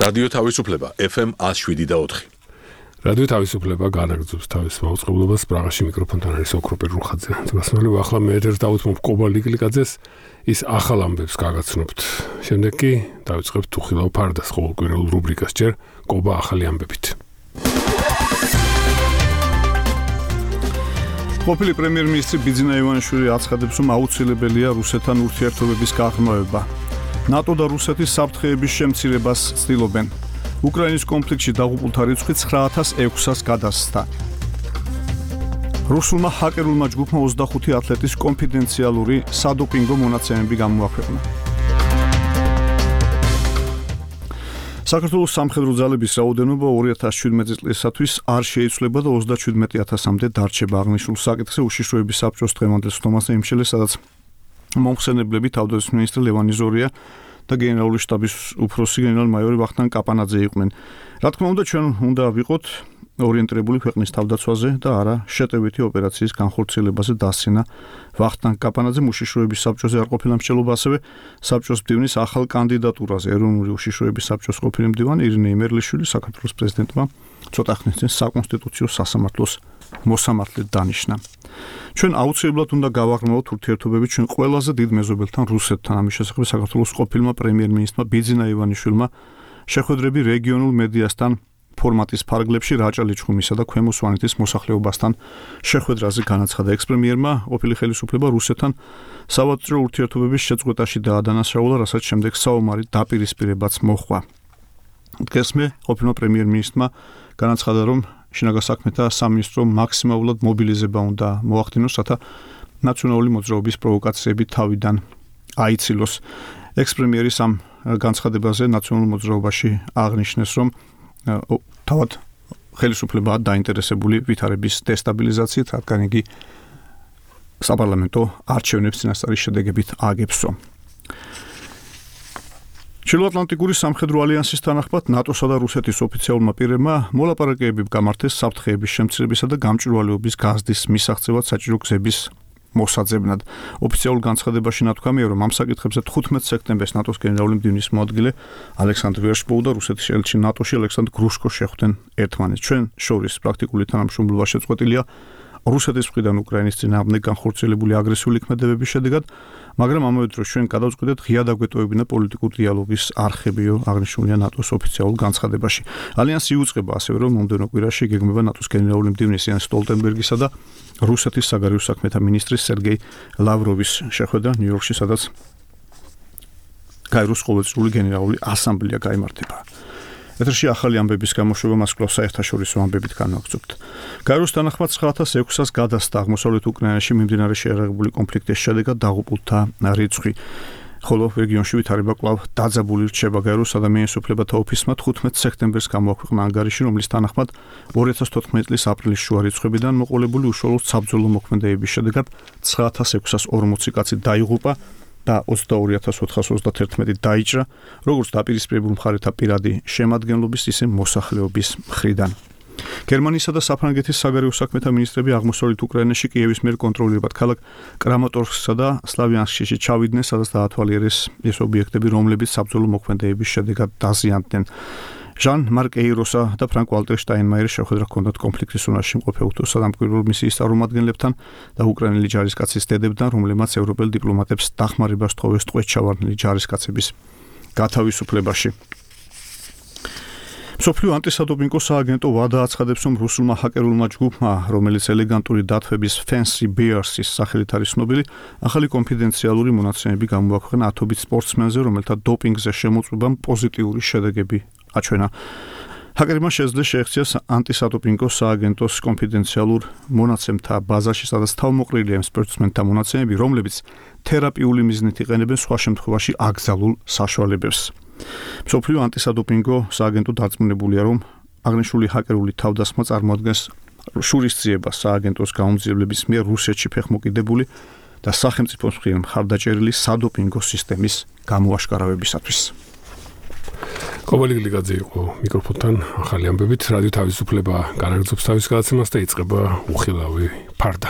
რადიო თავისუფლება FM 107.4. რადიო თავისუფლება განაგრძობს თავის მაუწყებლობას პრაღაში მიკროფონთან არის ოქროპერ რუხაძე. ძმასმელი ახლა მე ერთ დავუთმობ კობა ლიკლიკაძეს ის ახალ ამბებს გაგაცნობთ. შემდეგ კი დავიწყებთ უხილავ ფარდას ყოველკვირეულ რუბრიკას ჯერ კობა ახალი ამბებით. ყოფილი პრემიერ-მინისტრი ბიძინა ივანიშვილი აცხადებს, რომ აუცილებელია რუსეთთან ურთიერთობების გაღრმავება. ნატო და რუსეთის საფრთხეების შემცირებას ცდილობენ. უკრაინის კონფლიქტში დაღუპულთა რიცხვი 9600-ს გადასცდა. რუსულმა ჰაკერულმა ჯგუფმა 25 ათლეტის კონფიდენციალური სადოპინგო მონაცემები გამოაქვეყნა. საქართველოს სამხედრო ძალების რაოდენობა 2017 წლისათვის არ შეიცვლება და 37000-მდე დარჩება. აღნიშნულ საკითხზე უშიშროების საბჭოს დღევანდელ სხდომაზე იმშელეს, სადაც მომხსენებლები თავდაცვის მინისტრი ლევან იზორია და გენერალური შტაბის უფროსი გენერალ-მაიორი ვახტანგ კაპანაძე იყვნენ. რა თქმა უნდა, ჩვენ უნდა ვიყოთ ორიენტირებული ქვეყნის თავდაცვაზე და არა შეტევითი ოპერაციის განხორციელებაზე დასცინა ვახტანგ კაპანაძემ უშიშროების საბჭოზე არ ყოფილა მსჯელობა, ასევე საბჭოს მდივნის ახალ კანდიდატურაზე ეროვნული უშიშროების საბჭოს ყოფილი მდივანი ირინე იმერლიშვილი საქართველოს პრეზიდენტმა ცოტა ხნის წინ საკონსტიტუციო სასამართლოს მოსამართლედ დანიშნა. ჩვენ აუცილებლად უნდა გავაღრმავოთ ურთიერთობები ჩვენ ყველაზე დიდ მეზობელთან რუსეთთან. ამის შესახებ საქართველოს ყოფილმა პრემიერ-მინისტრმა ბიძინა ივანიშვილმა შეხვედრები რეგიონულ მედიასთან ფორმატის ფარგლებში რაჭა ლიჩხუმისა და ქვემო სვანეთის მოსახლეობასთან შეხვედრაზე განაცხადა. ექს-პრემიერმა ყოფილი ხელისუფლება რუსეთთან სავაჭრო ურთიერთობების შეწყვეტაში დაადანაშაულა, რასაც შემდეგ საომარი დაპირისპირებაც მოჰყვა. დღესმე ყოფილმა პრემიერ-მინისტრმა განაცხადა, რომ შინაგან საქმეთა სამინისტრო მაქსიმალურად მობილიზება უნდა მოახდინოს, რათა ნაციონალური მოძრაობის პროვოკაციები თავიდან აიცილოს. ექს-პრემიერის ამ განცხადებაზე ნაციონალურ მოძრაობაში აღნიშნეს, რომ თავად ხელისუფლებაა დაინტერესებული ვითარების დესტაბილიზაციით, რადგან იგი საპარლამენტო არჩევნებს წინასწარი შედეგებით აგებსო. ჩრდილოატლანტიკური სამხედრო ალიანსის თანახმად ნატოსა და რუსეთის ოფიციალურმა პირებმა მოლაპარაკებები გამართეს საფრთხეების შემცირებისა და გამჭვირვალეობის გაზრდის მისაღწევად საჭირო გზების მოსაძებნად. ოფიციალურ განცხადებაში ნათქვამია, რომ ამ საკითხებზე 15 სექტემბერს ნატოს გენერალური მდივნის მოადგილე ალექსანდრ ვერშბოუ და რუსეთის ელჩი ნატოში ალექსანდრ გრუშკო შეხვდნენ ერთმანეთს. ჩვენ შორის პრაქტიკული თანამშრომლობა შეწყვეტილია რუსეთის მხრიდან უკრაინის წინააღმდეგ განხორციელებული აგრესიული ქმედებების შედეგად, მაგრამ ამავე დროს ჩვენ გადავწყვეტეთ ღია დაგვეტოვებინა პოლიტიკური დიალოგის არხებიო, აღნიშნულია ნატოს ოფიციალურ განცხადებაში. ალიანსი იუწყება ასევე, რომ მომდევნო კვირაში გეგმება ნატოს გენერალური მდივნის იან სტოლტენბერგისა და რუსეთის საგარეო საქმეთა მინისტრის სერგეი ლავროვის შეხვედრა ნიუ-იორკში, სადაც გაეროს ყოველწლიური გენერალური ასამბლეა გაიმართება. ეთერში ახალი ამბების გამოშვება მას კვლავ საერთაშორისო ამბებით განვაგრძობთ. გაეროს თანახმად 9600-ს გადასცდა აღმოსავლეთ უკრაინაში მიმდინარე შეერაღებული კონფლიქტის შედეგად დაღუპულთა რიცხვი, ხოლო რეგიონში ვითარება კვლავ დაძაბული რჩება. გაეროს ადამიანის უფლებათა ოფისმა 15 სექტემბერს გამოაქვეყნა ანგარიში, რომლის თანახმად 2014 წლის აპრილის შუა რიცხვებიდან მოყოლებული უშუალოდ საბრძოლო მოქმედებების შედეგად 9640 კაცი დაიღუპა და 22431 დაიჭრა, როგორც დაპირისპირებულ მხარეთა პირადი შემადგენლობის, ისე მოსახლეობის მხრიდან. გერმანიისა და საფრანგეთის საგარეო საქმეთა მინისტრები აღმოსავლეთ უკრაინაში კიევის მიერ კონტროლირებად ქალაქ კრამატორსკსა და სლავიანსკში ჩავიდნენ, სადაც დაათვალიერეს ეს ობიექტები, რომლებიც საბრძოლო მოქმედებების შედეგად დაზიანდნენ. ჟან-მარკ ეიროსა და ფრანკ ვალტერ შტაინმაიერის შეხვედრა ჰქონდათ კონფლიქტის ზონაში მყოფ უცხო სადამკვირვებლო მისიის წარმომადგენლებთან და უკრაინელი ჯარისკაცის დედებთან, რომლებმაც ევროპელ დიპლომატებს დახმარებას თხოვეს ტყვეჩჩავარდნილი ჯარისკაცების გათავისუფლებაში. მსოფლიო ანტისადოპინგო სააგენტო WADA აცხადებს, რომ რუსულმა ჰაკერულმა ჯგუფმა, რომელიც ელეგანტური დათვების Fancy Bears-ის სახელით არის ცნობილი, ახალი კონფიდენციალური მონაცემები გამოაქვეყნა ათობით სპორტსმენზე, რომელთა დოპინგზე შემოწმებამ პოზიტიური შედეგები აჩვენა. ჰაკერმა შეძლეს შეექცია ანტისადოპინგო სააგენტოს კონფიდენციალურ მონაცემთა ბაზაში, სადაც თავმოყრილია იმ სპორტსმენთა მონაცემები, რომლებიც თერაპიული მიზნით იყენებენ სხვა შემთხვევაში აკრძალულ საშუალებებს. მსოფლიო ანტისადოპინგო სააგენტო დარწმუნებულია, რომ აღნიშნული ჰაკერული თავდასხმა წარმოადგენს შურისძიებას სააგენტოს გაუმძიებლების მიერ რუსეთში ფეხმოკიდებული და სახელმწიფოს მხრიდან მხარდაჭერილი სადოპინგო სისტემის გამოაშკარავებისათვის. კობა ლიკლიკაძე იყო მიკროფონთან ახალი ამბებით. რადიო თავისუფლება განაგრძობს თავის გადაცემას და იწყება უხილავი ფარდა.